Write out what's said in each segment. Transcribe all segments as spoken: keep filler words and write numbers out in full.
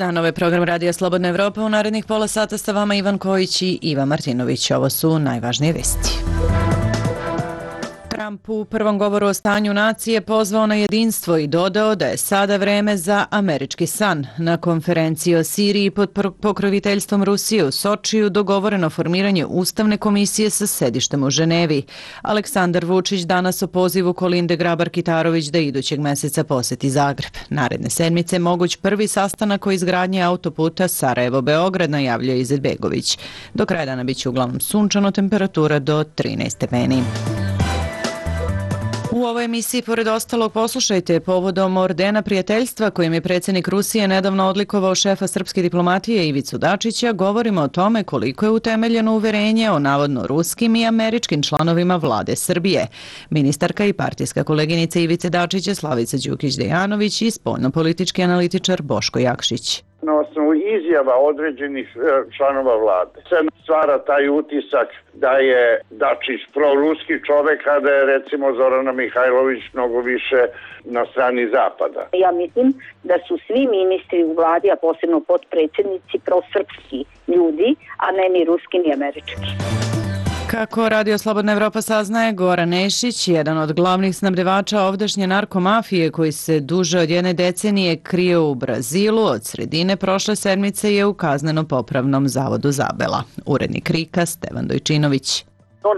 dan, ovaj program Radija Slobodna Evropa. U narednih pola sata sa vama Ivan Kojić i Iva Martinović. Ovo su najvažnije vesti. Trump u prvom govoru o stanju nacije pozvao na jedinstvo i dodao da je sada vreme za američki san. Na konferenciji o Siriji pod pokroviteljstvom Rusije u Sočiju dogovoreno formiranje Ustavne komisije sa sedištem u Ženevi. Aleksandar Vučić danas o pozivu Kolinde Grabar-Kitarović da idućeg meseca poseti Zagreb. Naredne sedmice moguć prvi sastanak o izgradnji autoputa Sarajevo-Beograd, najavljuje Izetbegović. Do kraja dana biće uglavnom sunčano, temperatura do trinaest stepeni. U ovoj emisiji, pored ostalog, poslušajte povodom ordena prijateljstva kojim je predsjednik Rusije nedavno odlikovao šefa srpske diplomatije Ivicu Dačića, govorimo o tome koliko je utemeljeno uverenje o navodno ruskim i američkim članovima vlade Srbije. Ministarka i partijska koleginica Ivice Dačića Slavica Đukić-Dejanović i spoljnopolitički analitičar Boško Jakšić. Na osnovu izjava određenih članova vlade se stvara taj utisak da je Dačić proruski čovek, a da je recimo Zorana Mihajlović mnogo više na strani zapada. Ja mislim da su svi ministri u vladi, a posebno potpredsjednici, prosrpski ljudi, a ne ni ruski ni američki. Kako Radio Slobodna Evropa saznaje, Goran Nešić, jedan od glavnih snabdevača ovdašnje narkomafije koji se duže od jedne decenije krije u Brazilu, od sredine prošle sedmice je u kazneno-popravnom zavodu Zabela. Urednik Rika Stevan Dojčinović. On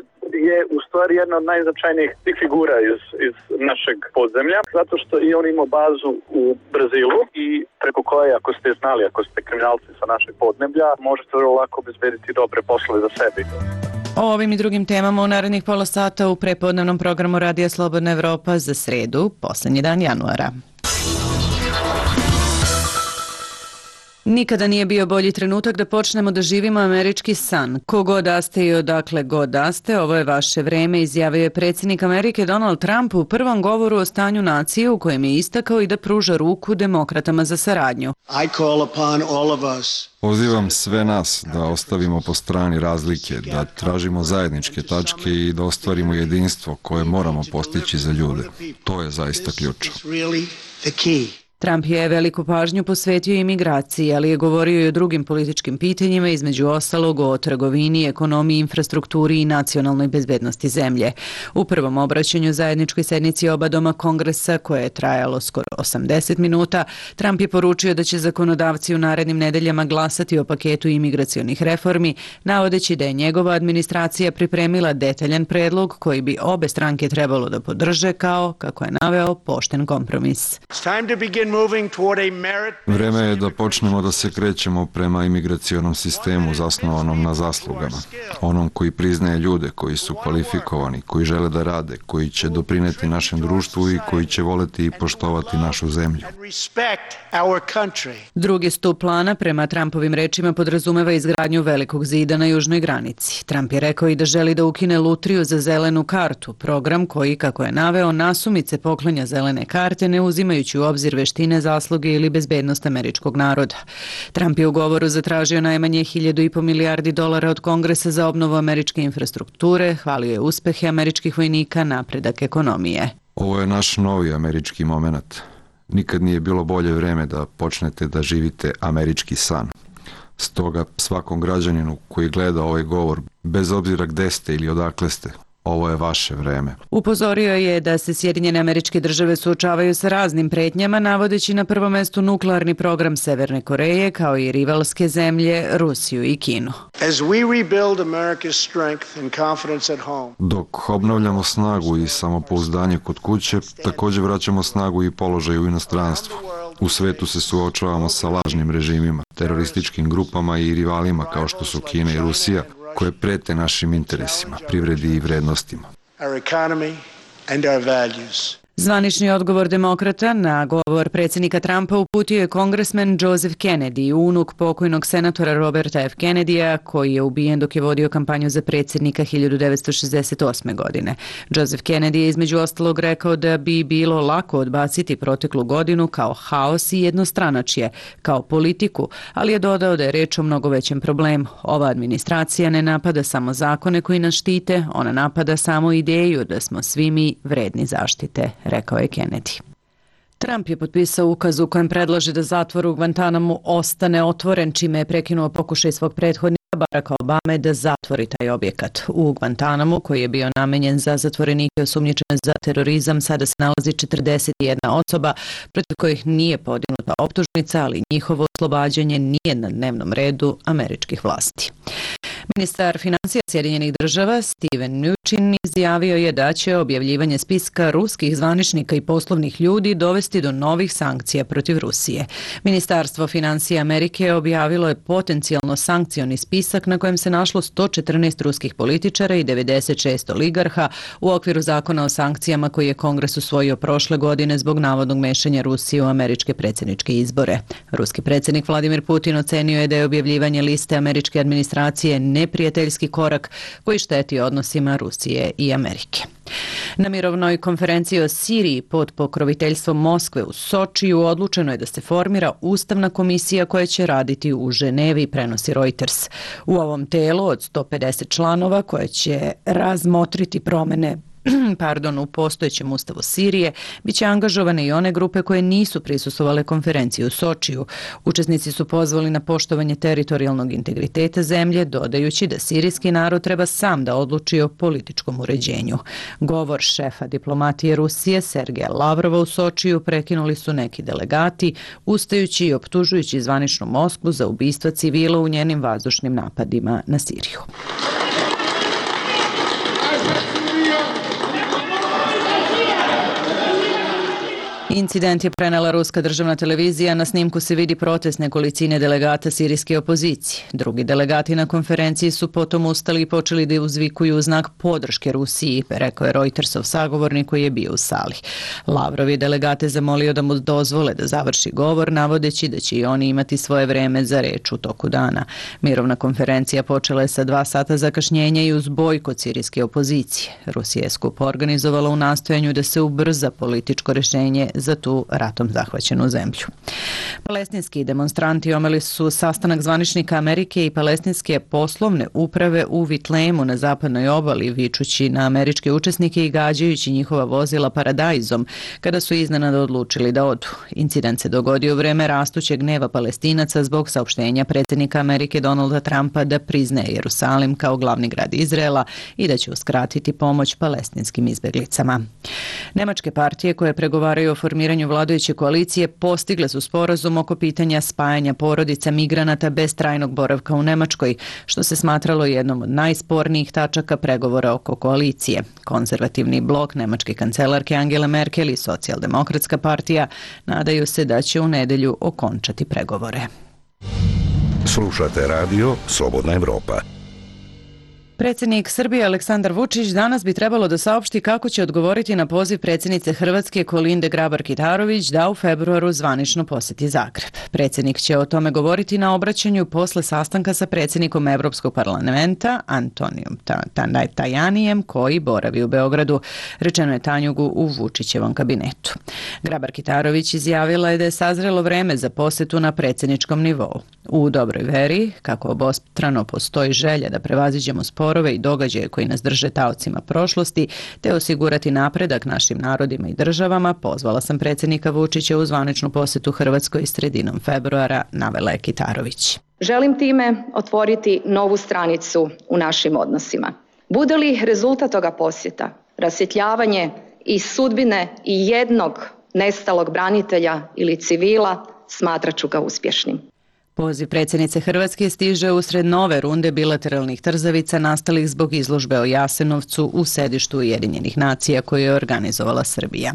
je u stvari jedna od najznačajnijih figura iz, iz našeg podzemlja, zato što i on ima bazu u Brazilu i preko koje, ako ste znali, ako ste kriminalci sa našeg podneblja, možete vrlo lako obezbediti dobre poslove za sebi. O ovim i drugim temama u narednih pola sata u prepodnevnom programu Radija Slobodna Evropa za sredu, posljednji dan januara. Nikada nije bio bolji trenutak da počnemo da živimo američki san. Ko god da ste i odakle god da ste, ovo je vaše vreme, izjavio je predsjednik Amerike Donald Trump u prvom govoru o stanju nacije u kojem je istakao i da pruža ruku demokratama za saradnju. I call upon all of us. Pozivam sve nas da ostavimo po strani razlike, da tražimo zajedničke tačke i da ostvarimo jedinstvo koje moramo postići za ljude. To je zaista ključ. Trump je veliku pažnju posvetio imigraciji, ali je govorio i o drugim političkim pitanjima, između ostalog o trgovini, ekonomiji, infrastrukturi i nacionalnoj bezbednosti zemlje. U prvom obraćanju zajedničkoj sednici oba doma Kongresa, koje je trajalo skoro osamdeset minuta, Trump je poručio da će zakonodavci u narednim nedeljama glasati o paketu imigracionih reformi, navodeći da je njegova administracija pripremila detaljan predlog koji bi obe stranke trebalo da podrže kao, kako je naveo, pošten kompromis. Vreme je da počnemo da se krećemo prema imigracionom sistemu zasnovanom na zaslugama. Onom koji priznaje ljude koji su kvalifikovani, koji žele da rade, koji će doprineti našem društvu i koji će voleti i poštovati našu zemlju. Drugi stup plana, prema Trumpovim rečima, podrazumeva izgradnju velikog zida na južnoj granici. Trump je rekao i da želi da ukine lutriju za zelenu kartu, program koji, kako je naveo, nasumice poklanja zelene karte ne uzimajući u obzir veštine, zasluge ili bezbednost američkog naroda. Trump je u govoru zatražio najmanje hiljadu i po milijardi dolara od Kongresa za obnovu američke infrastrukture, hvalio je uspehe američkih vojnika, napredak ekonomije. Ovo je naš novi američki moment. Nikad nije bilo bolje vreme da počnete da živite američki san. Stoga svakom građaninu koji gleda ovaj govor, bez obzira gde ste ili odakle ste, ovo je vaše vreme. Upozorio je da se Sjedinjene Američke Države suočavaju sa raznim pretnjama, navodeći na prvom mestu nuklearni program Severne Koreje, kao i rivalske zemlje Rusiju i Kinu. Dok obnavljamo snagu i samopouzdanje kod kuće, također vraćamo snagu i položaj u inostranstvu. U svetu se suočavamo sa lažnim režimima, terorističkim grupama i rivalima kao što su Kina i Rusija, koje prete našim interesima, privredi i vrednostima. Zvanični odgovor demokrata na govor predsjednika Trumpa uputio je kongresmen Joseph Kennedy, unuk pokojnog senatora Roberta F. Kennedyja, koji je ubijen dok je vodio kampanju za predsjednika hiljadu devetsto šezdeset osme. godine. Joseph Kennedy je između ostalog rekao da bi bilo lako odbaciti proteklu godinu kao haos i jednostranačje, kao politiku, ali je dodao da je reč o mnogo većem problemu. Ova administracija ne napada samo zakone koji nas štite, ona napada samo ideju da smo svi mi vredni zaštite, rekao je Kennedy. Trump je potpisao ukaz u kojem predlaže da zatvor u Guantanamu ostane otvoren, čime je prekinuo pokušaj svog prethodnika Baracka Obame da zatvori taj objekat. U Guantanamu, koji je bio namenjen za zatvorenike osumnjičene za terorizam, sada se nalazi četrdeset jedna osoba protiv kojih nije podignuta optužnica, ali njihovo oslobađanje nije na dnevnom redu američkih vlasti. Ministar financija Sjedinjenih država Steven Mnuchin izjavio je da će objavljivanje spiska ruskih zvaničnika i poslovnih ljudi dovesti do novih sankcija protiv Rusije. Ministarstvo financija Amerike objavilo je potencijalno sankcioni spisak na kojem se našlo sto četrnaest ruskih političara i devedeset šest oligarha u okviru zakona o sankcijama koji je Kongres usvojio prošle godine zbog navodnog mešanja Rusije u američke predsjedničke izbore. Ruski predsjednik Vladimir Putin ocenio je da je objavljivanje liste američke administracije neprijateljski korak koji šteti odnosima Rusije i Amerike. Na mirovnoj konferenciji o Siriji pod pokroviteljstvom Moskve u Sočiju odlučeno je da se formira ustavna komisija koja će raditi u Ženevi, prenosi Reuters. U ovom telu od sto pedeset članova koja će razmotriti promene pardon, u postojećem ustavu Sirije, bit će angažovane i one grupe koje nisu prisustvovale konferenciji u Sočiju. Učesnici su pozvali na poštovanje teritorijalnog integriteta zemlje, dodajući da sirijski narod treba sam da odluči o političkom uređenju. Govor šefa diplomatije Rusije Sergeja Lavrova u Sočiju prekinuli su neki delegati, ustajući i optužujući zvaničnu Moskvu za ubistva civila u njenim vazdušnim napadima na Siriju. Incident je prenela ruska državna televizija, na snimku se vidi protest nekolicine delegata sirijske opozicije. Drugi delegati na konferenciji su potom ustali i počeli da uzvikuju u znak podrške Rusiji, rekao je Reutersov sagovornik koji je bio u sali. Lavrov je delegate zamolio da mu dozvole da završi govor, navodeći da će i oni imati svoje vreme za reč u toku dana. Mirovna konferencija počela je sa dva sata zakašnjenja i uz bojkot sirijske opozicije. Rusija je skup organizovala u nastojanju da se ubrza političko rješenje za tu ratom zahvaćenu zemlju. Palestinski demonstranti omeli su sastanak zvaničnika Amerike i palestinske poslovne uprave u Vitlemu na zapadnoj obali, vičući na američke učesnike i gađajući njihova vozila paradajzom kada su iznenada odlučili da odu. Incident se dogodio u vreme rastućeg gneva Palestinaca zbog saopštenja predsjednika Amerike Donalda Trumpa da priznaje Jerusalim kao glavni grad Izraela i da će uskratiti pomoć palestinskim izbjeglicama. Nemačke partije koje pregovaraju o formiranju vladajuće koalicije postigle su sporazum oko pitanja spajanja porodica migranata bez trajnog boravka u Nemačkoj, što se smatralo jednom od najspornijih tačaka pregovora oko koalicije. Konzervativni blok nemačke kancelarke Angele Merkel i socijaldemokratska partija nadaju se da će u nedelju okončati pregovore. Slušate radio Slobodna Evropa. Predsjednik Srbije Aleksandar Vučić danas bi trebalo da saopšti kako će odgovoriti na poziv predsjednice Hrvatske Kolinde Grabar-Kitarović da u februaru zvanično posjeti Zagreb. Predsjednik će o tome govoriti na obraćanju posle sastanka sa predsjednikom Evropskog parlamenta Antonijom Tajanijem koji boravi u Beogradu, rečeno je Tanjugu u Vučićevom kabinetu. Grabar-Kitarović izjavila je da je sazrelo vreme za posjetu na predsjedničkom nivou. U dobroj veri, kako obostrano postoji želja da prevaziđemo sporove i događaje koji nas drže taocima prošlosti, te osigurati napredak našim narodima i državama, pozvala sam predsjednika Vučića u zvaničnu posjetu Hrvatskoj sredinom februara, navela je Kitarović. Želim time otvoriti novu stranicu u našim odnosima. Bude li rezultat toga posjeta rasvjetljavanje i sudbine i jednog nestalog branitelja ili civila, smatrat ću ga uspješnim. Poziv predsjednice Hrvatske stiže usred nove runde bilateralnih trzavica nastalih zbog izložbe o Jasenovcu u sedištu Ujedinjenih nacija koju je organizovala Srbija.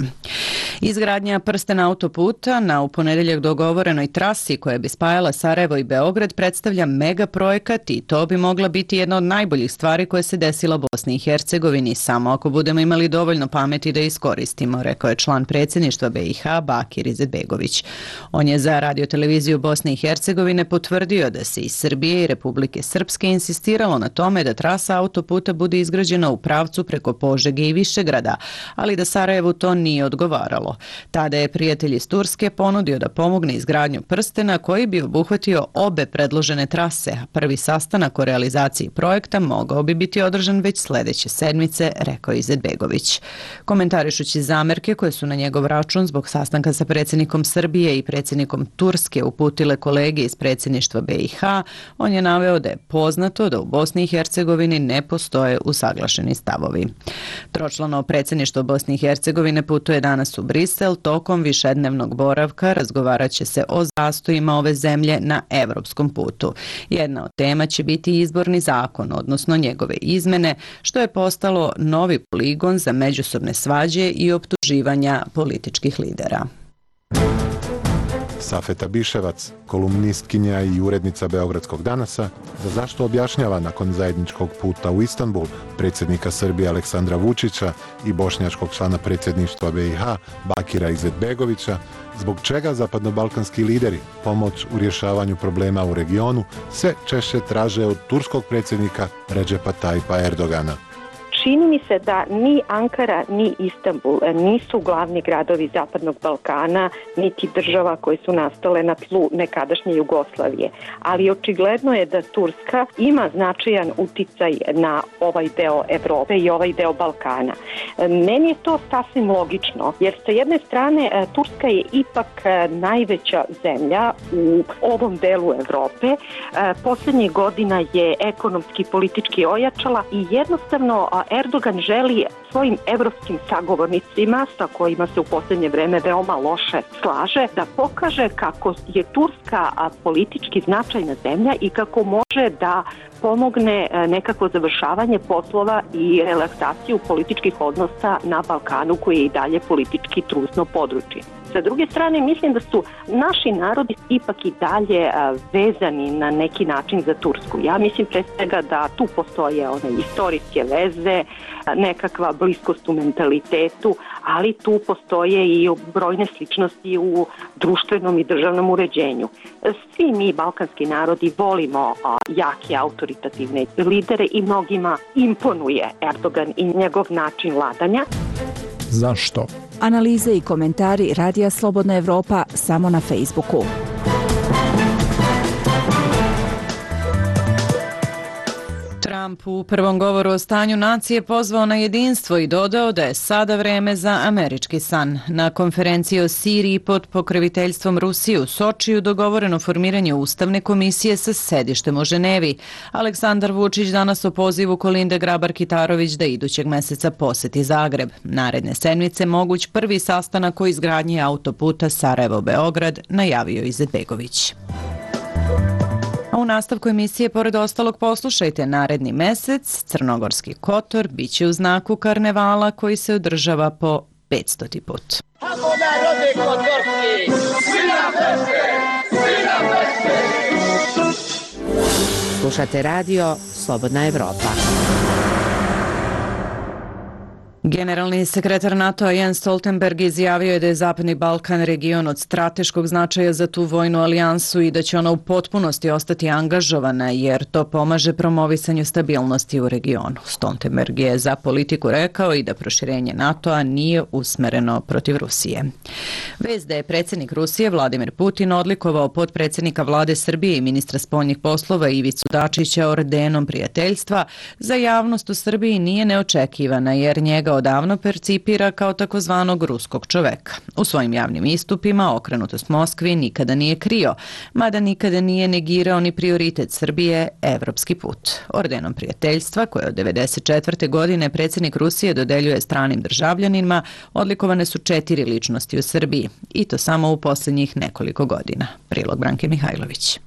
Izgradnja prstena autoputa na u ponedjeljak dogovorenoj trasi koja bi spajala Sarajevo i Beograd predstavlja mega projekat i to bi mogla biti jedna od najboljih stvari koje se desila Bosni i Hercegovini, samo ako budemo imali dovoljno pameti da iskoristimo, rekao je član predsjedništva B i H Bakir Izetbegović. On je za radioteleviziju Bosne i Hercegovine Hercegovine potvrdio da se iz Srbije i Republike Srpske insistiralo na tome da trasa autoputa bude izgrađena u pravcu preko Požege i Višegrada, ali da Sarajevu to nije odgovaralo. Tada je prijatelj iz Turske ponudio da pomogne izgradnju prstena koji bi obuhvatio obe predložene trase. Prvi sastanak o realizaciji projekta mogao bi biti održan već sledeće sedmice, rekao je Izetbegović. Komentarišući zamerke koje su na njegov račun zbog sastanka sa predsjednikom Srbije i predsjednikom Turske uputile kolege iz predsjedništva B i H, on je naveo da je poznato da u Bosni i Hercegovini ne postoje usaglašeni stavovi. Tročlano predsjedništvo Bosne i Hercegovine putuje danas u Brisel. Tokom višednevnog boravka razgovarat će se o zastojima ove zemlje na evropskom putu. Jedna od tema će biti izborni zakon, odnosno njegove izmene, što je postalo novi poligon za međusobne svađe i optuživanja političkih lidera. Safeta Biševac, kolumnistkinja i urednica Beogradskog danasa, za zašto objašnjava nakon zajedničkog puta u Istanbul predsjednika Srbije Aleksandra Vučića i bošnjačkog člana predsjedništva B i H Bakira Izetbegovića, zbog čega zapadnobalkanski lideri pomoć u rješavanju problema u regionu sve češće traže od turskog predsjednika Redžepa Tajipa Erdogana. Čini mi se da ni Ankara ni Istanbul nisu glavni gradovi Zapadnog Balkana, niti država koje su nastale na tlu nekadašnje Jugoslavije. Ali očigledno je da Turska ima značajan uticaj na ovaj deo Evrope i ovaj deo Balkana. Meni je to sasvim logično, jer sa jedne strane Turska je ipak najveća zemlja u ovom delu Evrope. Posljednjih godina je ekonomski i politički ojačala i jednostavno Erdogan želi svojim evropskim sagovornicima, sa kojima se u posljednje vreme veoma loše slaže, da pokaže kako je Turska politički značajna zemlja i kako može da pomogne nekako završavanje poslova i relaksaciju političkih odnosa na Balkanu, koji je i dalje politički trusno područje. Sa druge strane, mislim da su naši narodi ipak i dalje vezani na neki način za Tursku. Ja mislim pre svega da tu postoje one istorijske veze, nekakva bliskost u mentalitetu, ali tu postoje i brojne sličnosti u društvenom i državnom uređenju. Svi mi, balkanski narodi, volimo jake autoritativne lidere i mnogima imponuje Erdogan i njegov način vladanja. Zašto? Analize i komentari Radija Slobodna Evropa samo na Facebooku. Trump u prvom govoru o stanju nacije pozvao na jedinstvo i dodao da je sada vreme za američki san. Na konferenciji o Siriji pod pokroviteljstvom Rusije u Sočiju dogovoreno formiranje ustavne komisije sa sedištem u Ženevi. Aleksandar Vučić danas o pozivu Kolinde Grabar-Kitarović da idućeg meseca poseti Zagreb. Naredne sedmice moguć prvi sastanak o izgradnji autoputa Sarajevo-Beograd, najavio Izetbegović. A u nastavku emisije, pored ostalog, poslušajte naredni mesec. Crnogorski Kotor biće u znaku karnevala koji se održava po petstoti put. Kako narode kotorski, svi na feste, svi na feste. Slušate radio Slobodna Evropa. Generalni sekretar NATO-a Jens Stoltenberg izjavio je da je Zapadni Balkan region od strateškog značaja za tu vojnu alijansu i da će ona u potpunosti ostati angažovana jer to pomaže promovisanju stabilnosti u regionu. Stoltenberg je za Politiku rekao i da proširenje NATO-a nije usmereno protiv Rusije. Vest da je predsjednik Rusije Vladimir Putin odlikovao potpredsjednika vlade Srbije i ministra spoljnih poslova Ivicu Dačića ordenom prijateljstva za javnost u Srbiji nije neočekivana jer njega odavno percipira kao takozvanog ruskog čoveka. U svojim javnim istupima okrenutost Moskvi nikada nije krio, mada nikada nije negirao ni prioritet Srbije, evropski put. Ordenom prijateljstva, koje od devedeset četvrte godine predsjednik Rusije dodeljuje stranim državljanima, odlikovane su četiri ličnosti u Srbiji, i to samo u posljednjih nekoliko godina. Prilog Branke Mihajlović.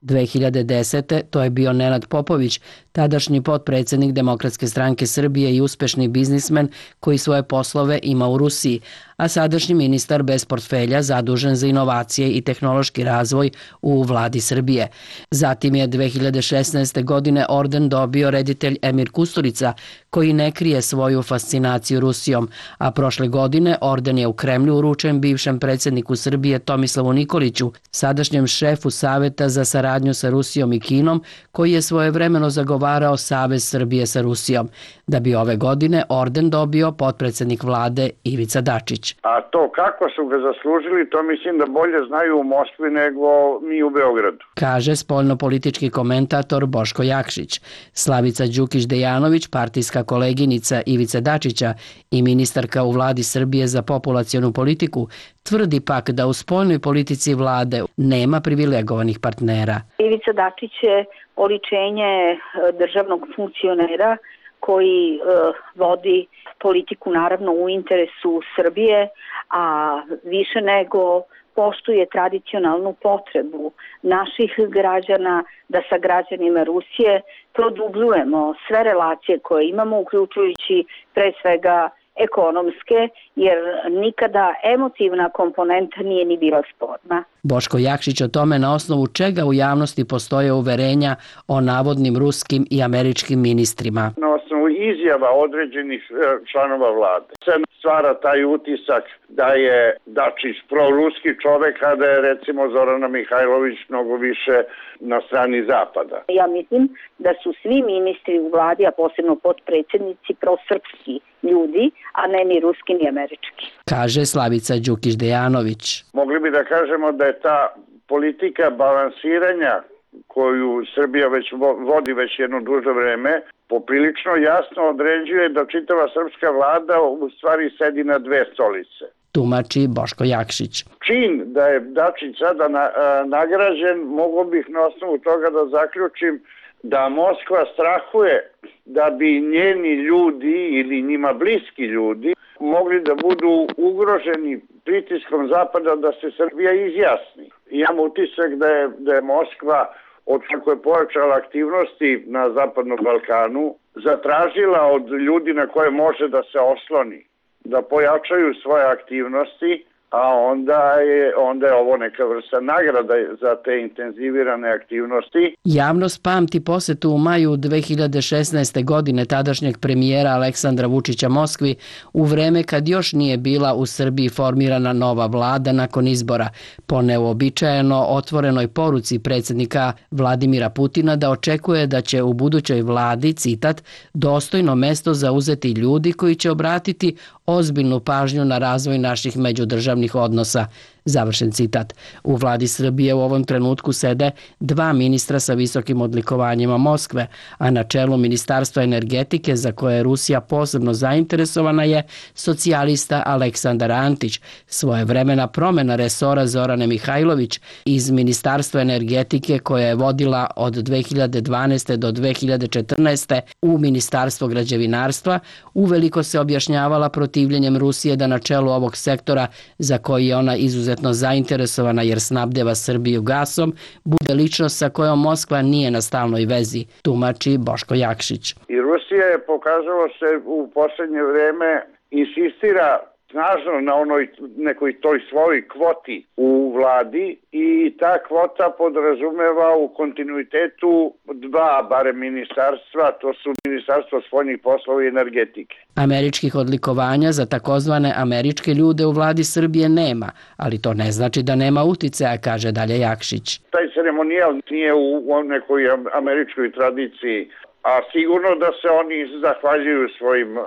dve hiljade desete. to je bio Nenad Popović, tadašnji potpredsjednik Demokratske stranke Srbije i uspešni biznismen koji svoje poslove ima u Rusiji, a sadašnji ministar bez portfelja zadužen za inovacije i tehnološki razvoj u vladi Srbije. Zatim je dve hiljade šesnaeste. godine orden dobio reditelj Emir Kusturica, koji ne krije svoju fascinaciju Rusijom, a prošle godine orden je u Kremlju uručen bivšem predsjedniku Srbije Tomislavu Nikoliću, sadašnjem šefu Saveta za saradnju sa Rusijom i Kinom, koji je svojevremeno zagovarao Savez Srbije sa Rusijom, da bi ove godine orden dobio potpredsjednik vlade Ivica Dačić. A to kako su ga zaslužili, to mislim da bolje znaju u Moskvi nego mi u Beogradu, kaže spoljnopolitički komentator Boško Jakšić. Slavica Đukić-Dejanović, partijska koleginica Ivice Dačića i ministarka u vladi Srbije za populacionu politiku, tvrdi pak da u spoljnoj politici vlade nema privilegovanih partnera. Ivica Dačić je oličenje državnog funkcionera koji uh, vodi politiku naravno u interesu Srbije, a više nego poštuje tradicionalnu potrebu naših građana da sa građanima Rusije produbljujemo sve relacije koje imamo, uključujući pre svega ekonomske, jer nikada emotivna komponenta nije ni bila sporna. Boško Jakšić o tome na osnovu čega u javnosti postoje uverenja o navodnim ruskim i američkim ministrima. Na osnovu izjava određenih članova vlade se stvara taj utisak da je Dačić proruski čovek, a da je recimo Zorana Mihajlović mnogo više na strani Zapada. Ja mislim da su svi ministri u vladi, a posebno potpredsjednici, prosrpski ljudi, a ne ni ruski ni američki, kaže Slavica Đukić-Dejanović. Mogli bi da kažemo da je ta politika balansiranja koju Srbija već vodi već jedno duže vreme, poprilično jasno određuje da čitava srpska vlada u stvari sedi na dve stolice. Tumači Boško Jakšić. Čin da je Dačić sada na, a, nagrađen, mogu bih na osnovu toga da zaključim da Moskva strahuje da bi njeni ljudi ili njima bliski ljudi mogli da budu ugroženi pritiskom Zapada da se Srbija izjasni. Imam utisak da je, da je Moskva, od kako je pojačala aktivnosti na Zapadnom Balkanu, zatražila od ljudi na koje može da se osloni, da pojačaju svoje aktivnosti, a onda je, onda je ovo neka vrsta nagrada za te intenzivirane aktivnosti. Javnost pamti posetu u maju dve hiljade šesnaeste. godine tadašnjeg premijera Aleksandra Vučića Moskvi u vreme kad još nije bila u Srbiji formirana nova vlada nakon izbora, po neuobičajeno otvorenoj poruci predsjednika Vladimira Putina da očekuje da će u budućoj vladi, citat, dostojno mesto zauzeti ljudi koji će obratiti ozbiljnu pažnju na razvoj naših međudržavnih odnosa. Završen citat. U vladi Srbije u ovom trenutku sede dva ministra sa visokim odlikovanjima Moskve, a na čelu Ministarstva energetike, za koje je Rusija posebno zainteresovana, je socijalista Aleksandar Antić. Svojevremena promjena resora Zorane Mihajlović iz Ministarstva energetike, koja je vodila od dve hiljade dvanaeste. do dve hiljade četrnaeste. u Ministarstvo građevinarstva, uveliko se objašnjavala protivljenjem Rusije da na čelu ovog sektora, za koji je ona izuzetno zainteresovana jer snabdeva Srbiju gasom, bude ličnost sa kojom Moskva nije na stalnoj vezi, tumači Boško Jakšić. I Rusija je, pokazalo se u posljednje vreme, insistira snažno na onoj nekoj toj svojoj kvoti u vladi i ta kvota podrazumeva u kontinuitetu dva barem ministarstva, to su Ministarstvo spoljnih poslova i energetike. Američkih odlikovanja za takozvane američke ljude u vladi Srbije nema, ali to ne znači da nema uticaja, kaže dalje Jakšić. Taj ceremonijal nije u nekoj američkoj tradiciji, a sigurno da se oni zahvaljuju svojim a,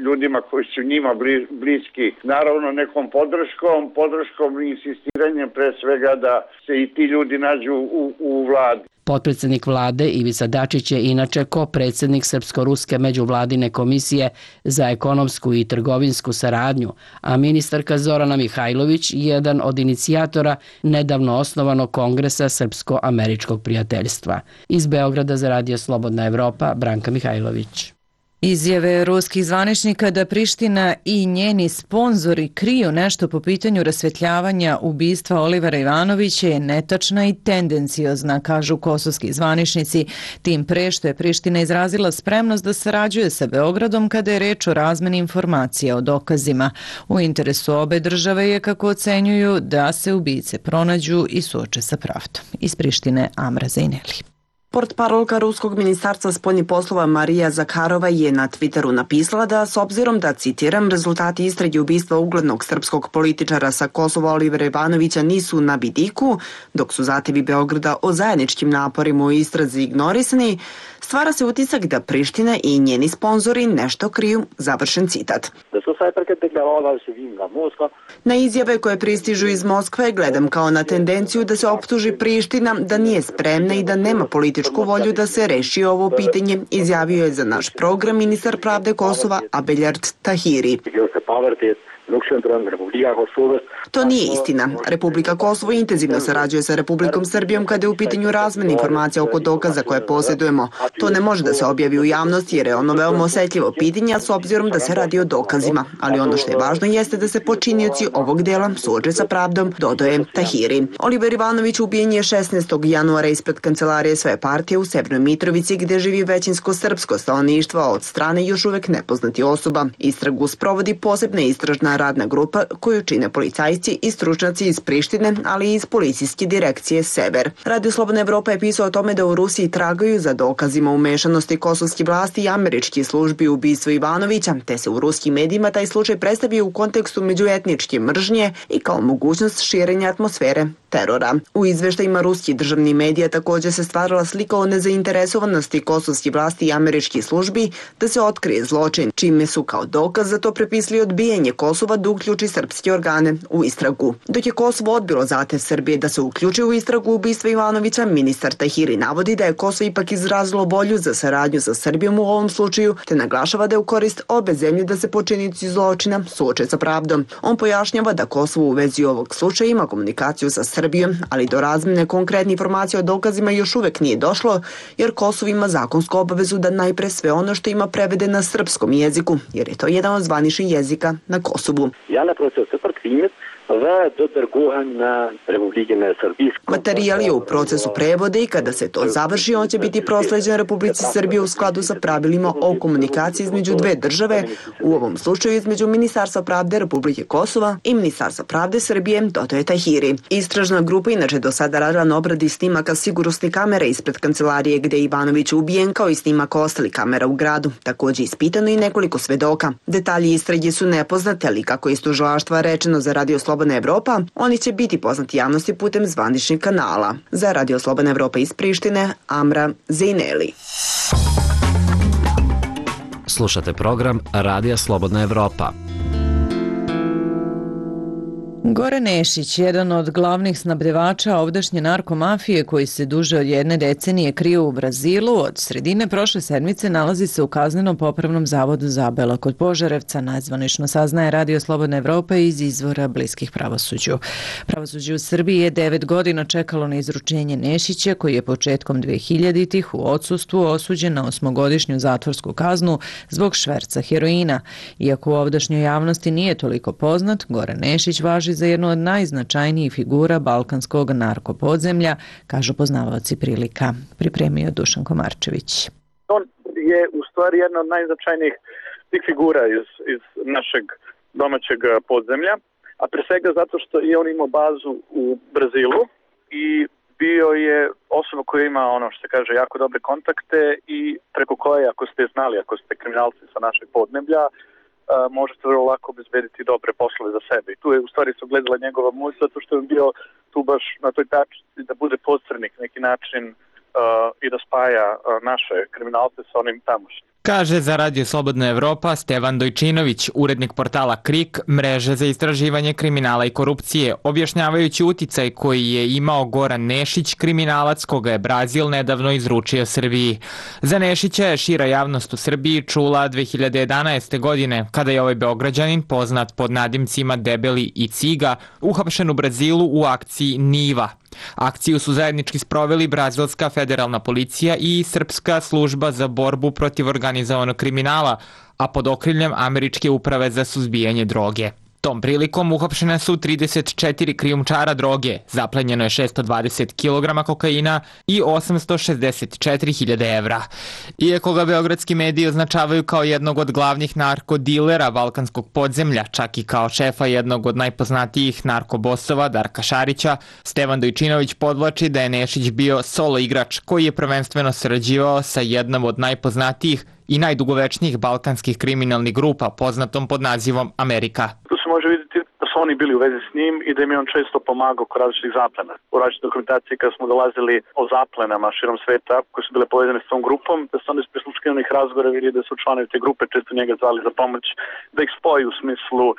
ljudima koji su njima bliski, naravno nekom podrškom, podrškom i insistiranjem pre svega da se i ti ljudi nađu u, u vladi. Potpredsjednik vlade Ivica Dačić je inače ko-predsjednik Srpsko-ruske međuvladine komisije za ekonomsku i trgovinsku saradnju, a ministarka Zorana Mihajlović jedan od inicijatora nedavno osnovanog kongresa Srpsko-američkog prijateljstva. Iz Beograda za Radio Slobodna Evropa, Branka Mihajlović. Izjave ruskih zvaničnika da Priština i njeni sponzori kriju nešto po pitanju rasvetljavanja ubistva Olivera Ivanovića je netačna i tendenciozna, kažu kosovski zvaničnici, tim pre što je Priština izrazila spremnost da sarađuje sa Beogradom kada je reč o razmeni informacija o dokazima. U interesu obe države je, kako ocenjuju, da se ubice pronađu i suoče sa pravdom. Iz Prištine Amra Zejneli. Portparolka Ruskog ministarstva spoljnih poslova Marija Zakharova je na Twitteru napisala da, s obzirom da, citiram, rezultati istrage ubistva uglednog srpskog političara sa Kosova Olivera Ivanovića nisu na vidiku, dok su zahtevi Beograda o zajedničkim naporima u istrazi ignorisani, stvara se utisak da Priština i njeni sponzori nešto kriju, završen citat. Na izjave koje pristižu iz Moskve gledam kao na tendenciju da se optuži Priština da nije spremna i da nema političku volju da se reši ovo pitanje, izjavio je za naš program ministar pravde Kosova Abelard Tahiri. To nije istina. Republika Kosovo intenzivno sarađuje sa Republikom Srbijom kada je u pitanju razmene informacija oko dokaza koje posjedujemo. To ne može da se objavi u javnosti jer je ono veoma osetljivo pitanje s obzirom da se radi o dokazima. Ali ono što je važno jeste da se počinioci ovog dela suoče sa pravdom, dodaje Tahiri. Oliver Ivanović ubijen je šesnaestog januara ispred kancelarije svoje partije u Severnoj Mitrovici gde živi većinsko srpsko stanovništvo od strane još uvek nepoznati osoba. Istragu sprovodi posebna istražna radna grupa koju čine policajci i stručnjaci iz Prištine, ali i iz policijske direkcije Sever. Radio Slobodna Evropa je pisao o tome da u Rusiji tragaju za dokazima umešanosti kosovskih vlasti i američkih službi u ubistvu Ivanovića, te se u ruskim medijima taj slučaj predstavio u kontekstu međuetničke mržnje i kao mogućnost širenja atmosfere terora. U izveštajima ruskih državnih medija također se stvarala slika o nezainteresovanosti kosovskih vlasti i američkih službi da se otkrije zločin, čime su kao dokaz za to prepisali odbijanje Kosova da uključi srpske organe u istragu. Dok je Kosovo odbilo zahtev Srbije da se uključi u istragu ubistva Ivanovića, ministar Tahiri navodi da je Kosovo ipak izrazilo volju za saradnju sa Srbijom u ovom slučaju, te naglašava da je u korist obe zemlje da se počinioci zločina suoče sa pravdom. On pojašnjava da Kosovo u vezi ovog slučaja ima komunikaciju sa Srbijom, ali do razmene konkretne informacije o dokazima još uvek nije došlo, jer Kosovo ima zakonsku obavezu da najpre sve ono što ima prevede na srpskom jeziku, jer je to jedan od zvaničnih jezika na Kosovu. Materijal je u procesu prevode i kada se to završi, on će biti prosleđen Republici Srbije u skladu sa pravilima o komunikaciji između dve države, u ovom slučaju između Ministarstva pravde Republike Kosova i Ministarstva pravde Srbije, dodaje Tahiri. Istražna grupa inače do sada radila na obradi snimaka sigurnosnih kamera ispred kancelarije gde je Ivanović ubijen, kao i snimaka ostalih kamera u gradu. Također ispitano i nekoliko svedoka. Detalji istrage su nepoznate, ali kako je iz tužilaštva rečeno za Radio Slobodna Evropa, oni će biti poznati javnosti putem zvaničnih kanala. Za Radio Slobodna Evropa iz Prištine, Amra Zejneli. Slušate program Radija Slobodna Evropa. Goran Nešić, jedan od glavnih snabdevača ovdašnje narkomafije koji se duže od jedne decenije krije u Brazilu, od sredine prošle sedmice nalazi se u kaznenom popravnom zavodu Zabela kod Požarevca, nazvanično saznaje Radio Slobodna Evropa iz izvora bliskih pravosuđu. Pravosuđe u Srbiji je devet godina čekalo na izručenje Nešića, koji je početkom dvehiljaditih u odsustvu osuđen na osmogodišnju zatvorsku kaznu zbog šverca heroina. Iako u ovdašnjoj javnosti nije toliko poznat, Goran Nešić važi za jednu od najznačajnijih figura balkanskog narkopodzemlja, kažu poznavaoci prilika. Pripremio Dušan Komarčević. On je u stvari jedna od najznačajnijih tih figura iz, iz našeg domaćeg podzemlja, a pre svega zato što je on imao bazu u Brazilu i bio je osoba koja ima, ono što se kaže, jako dobre kontakte i preko koje, ako ste znali, ako ste kriminalci sa našeg podneblja, možete vrlo lako obezbediti dobre poslove za sebe. I tu je u stvari se ogledala njegova moć, zato što je bio tu baš na toj tačci da bude posrednik neki način uh, i da spaja uh, naše kriminalce sa onim tamošnjim. Kaže za Radio Slobodna Evropa Stevan Dojčinović, urednik portala Krik, mreže za istraživanje kriminala i korupcije, objašnjavajući uticaj koji je imao Goran Nešić, kriminalac koga je Brazil nedavno izručio Srbiji. Za Nešića je šira javnost u Srbiji čula dve hiljade jedanaeste. godine, kada je ovaj Beograđanin, poznat pod nadimcima Debeli i Ciga, uhapšen u Brazilu u akciji Niva. Akciju su zajednički sproveli brazilska federalna policija i srpska služba za borbu protiv organizovanog kriminala, a pod okriljem Američke uprave za suzbijanje droge. Tom prilikom uhapšene su trideset četiri krijumčara droge, zaplenjeno je šesto dvadeset kilograma kokaina i osamsto šezdeset četiri hiljade evra. Iako ga beogradski mediji označavaju kao jednog od glavnih narkodilera balkanskog podzemlja, čak i kao šefa jednog od najpoznatijih narkobosova Darka Šarića, Stevan Dojčinović podvlači da je Nešić bio solo igrač koji je prvenstveno sarađivao sa jednom od najpoznatijih i najdugovečnijih balkanskih kriminalnih grupa poznatom pod nazivom Amerika. Tu se može vidjeti da su oni bili u vezi s njim i da im je on često pomagao kod različitih zaplena. U različitoj dokumentaciji kada smo dolazili o zaplenama širom sveta koje su bile povezane s tom grupom, da su onda iz prisluškivanih razgovora vidjeli da su članovi te grupe često njega zvali za pomoć, da ih spoji u smislu uh,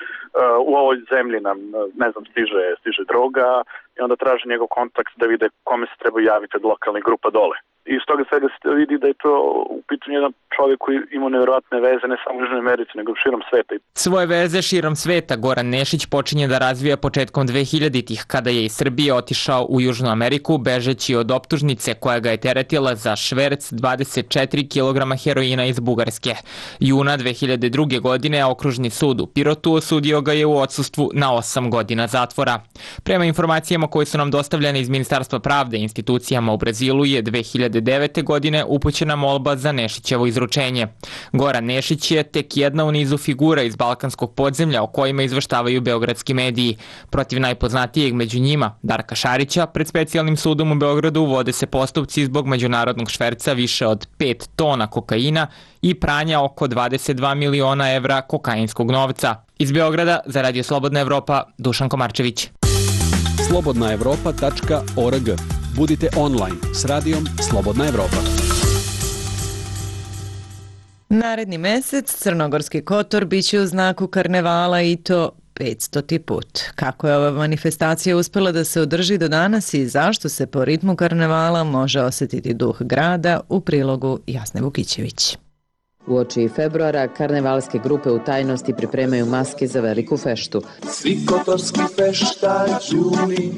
u ovoj zemlji nam, ne znam, stiže, stiže droga i onda traže njegov kontakt da vide kome se treba javiti od lokalnih grupa dole. I iz toga svega se vidi da je to u pitanju jedan čovjek koji ima nevjerojatne veze ne samo u Južnoj Americi, nego širom sveta. Svoje veze širom sveta Goran Nešić počinje da razvija početkom dvehiljaditih, kada je iz Srbije otišao u Južnu Ameriku, bežeći od optužnice koja ga je teretila za šverc dvadeset četiri kilograma heroina iz Bugarske. Juna dve hiljade druge. godine Okružni sud u Pirotu osudio ga je u odsustvu na osam godina zatvora. Prema informacijama koje su nam dostavljene iz Ministarstva pravde i institucijama u Brazilu je dve hiljade devete. godine upućena molba za Nešićevo izručenje. Goran Nešić je tek jedna u nizu figura iz balkanskog podzemlja o kojima izveštavaju beogradski mediji. Protiv najpoznatijeg među njima, Darka Šarića, pred specijalnim sudom u Beogradu vode se postupci zbog međunarodnog šverca više od pet tona kokaina i pranja oko dvadeset dva miliona evra kokainskog novca. Iz Beograda za Radio Slobodna Evropa, Dušan Komarčević. slobodna evropa tačka org. Budite online s radijom Slobodna Evropa. Naredni mesec Crnogorski Kotor biće u znaku karnevala i to petstoti put. Kako je ova manifestacija uspela da se održi do danas i zašto se po ritmu karnevala može osjetiti duh grada, u prilogu Jasne Vukićević. Uoči februara karnevalske grupe u tajnosti pripremaju maske za veliku feštu. Svi kotorski feštađuni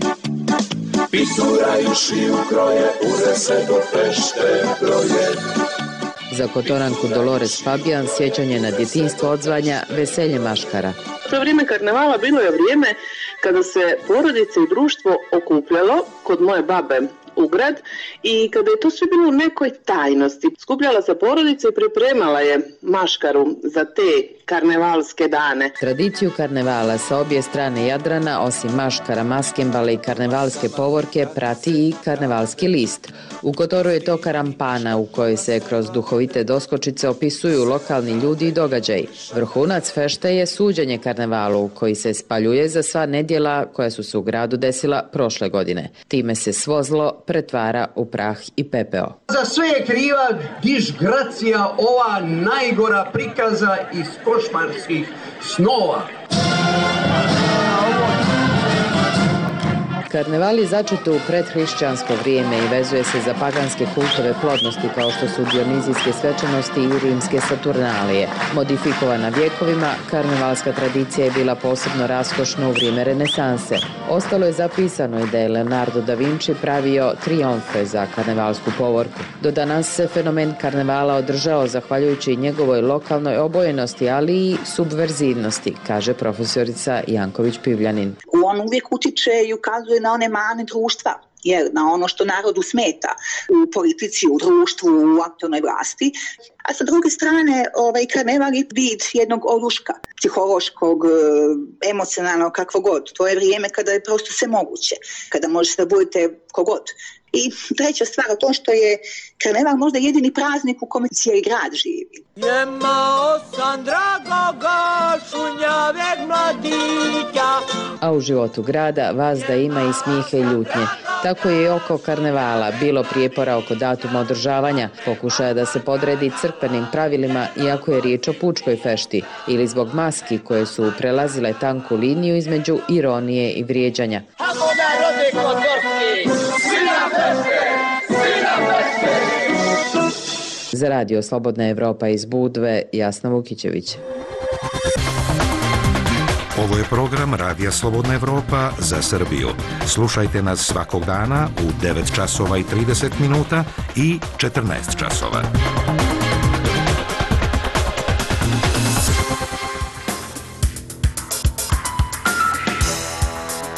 pisuraju šiju kroje, ure se do fešte broje. Za Kotoranku Dolores Fabijan sjećanje na djetinjstvo odzvanja veselje maškara. To vrijeme karnevala bilo je vrijeme kada se porodice i društvo okupljalo kod moje babe u grad i kada je to sve bilo u nekoj tajnosti. Skupljala se porodica i pripremala je maškaru za te karnevalske dane. Tradiciju karnevala sa obje strane Jadrana, osim maškara, maskembale i karnevalske povorke, prati i karnevalski list. U Kotoru je to karampana u kojoj se kroz duhovite doskočice opisuju lokalni ljudi i događaji. Vrhunac fešte je suđenje karnevalu koji se spaljuje za sva nedjela koja su se u gradu desila prošle godine. Time se svo zlo pretvara u prah i pepeo. Za sve je kriva disgracija, ova najgora prikaza iz košmarskih snova. Karneval je začet u predhrišćansko vrijeme i vezuje se za paganske kultove plodnosti kao što su dionizijske svečanosti i rimske saturnalije. Modifikovana vjekovima, karnevalska tradicija je bila posebno raskošna u vrijeme renesanse. Ostalo je zapisano i da je Leonardo da Vinci pravio triumfe za karnevalsku povorku. Do danas se fenomen karnevala održao zahvaljujući njegovoj lokalnoj obojenosti, ali i subverzivnosti, kaže profesorica Janković Pivljanin. On uvijek utiče i ukazuje na one mane društva, jer na ono što narodu smeta u politici, u društvu, u aktualnoj vlasti. A sa druge strane, ovaj, karneval je vid jednog oruška, psihološkog, emocionalnog, kakvo god. To je vrijeme kada je prosto sve moguće, kada možete da budete kogod. I treća stvar o tom što je karneval možda jedini praznik u kome cijeli grad živi. Jemao sam dragoga šunjaveg mladića. A u životu grada vazda ima i smijehe i ljutnje. Tako je i oko karnevala bilo prijepora oko datuma održavanja, pokušaja da se podredi crkvenim pravilima iako je riječ o pučkoj fešti ili zbog maski koje su prelazile tanku liniju između ironije i vrijeđanja. Ako narode kotorski, svi na fešte, svi na fešte. Za Radio Slobodna Evropa iz Budve, Jasna Vukićević. Ovo je program Radija Slobodna Evropa za Srbiju. Slušajte nas svakog dana u devet časova i trideset minuta i četrnaest časova.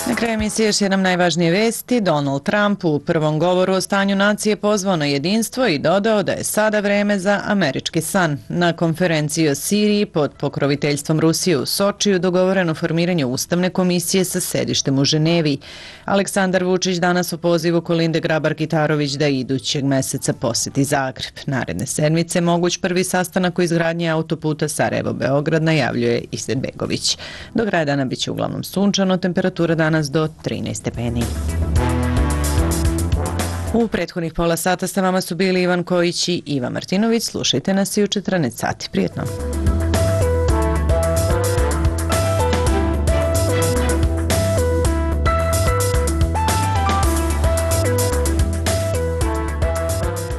Na kraju emisije još jednom najvažnije vesti. Donald Trump u prvom govoru o stanju nacije pozvao na jedinstvo i dodao da je sada vreme za američki san. Na konferenciji o Siriji pod pokroviteljstvom Rusije u Sočiju dogovoreno formiranje ustavne komisije sa sedištem u Ženevi. Aleksandar Vučić danas u pozivu Kolinde Grabar-Kitarović da idućeg meseca poseti Zagreb. Naredne sedmice moguć prvi sastanak o izgradnji autoputa Sarajevo-Beograd, najavljuje Izetbegović. Do kraja dana biće uglavnom sunčano, temperatura danas do trinaest stepeni. U prethodnih pola sata sa vama su bili Ivan Kojić i Iva Martinović. Slušajte nas i u četrnaest sati. Prijetno!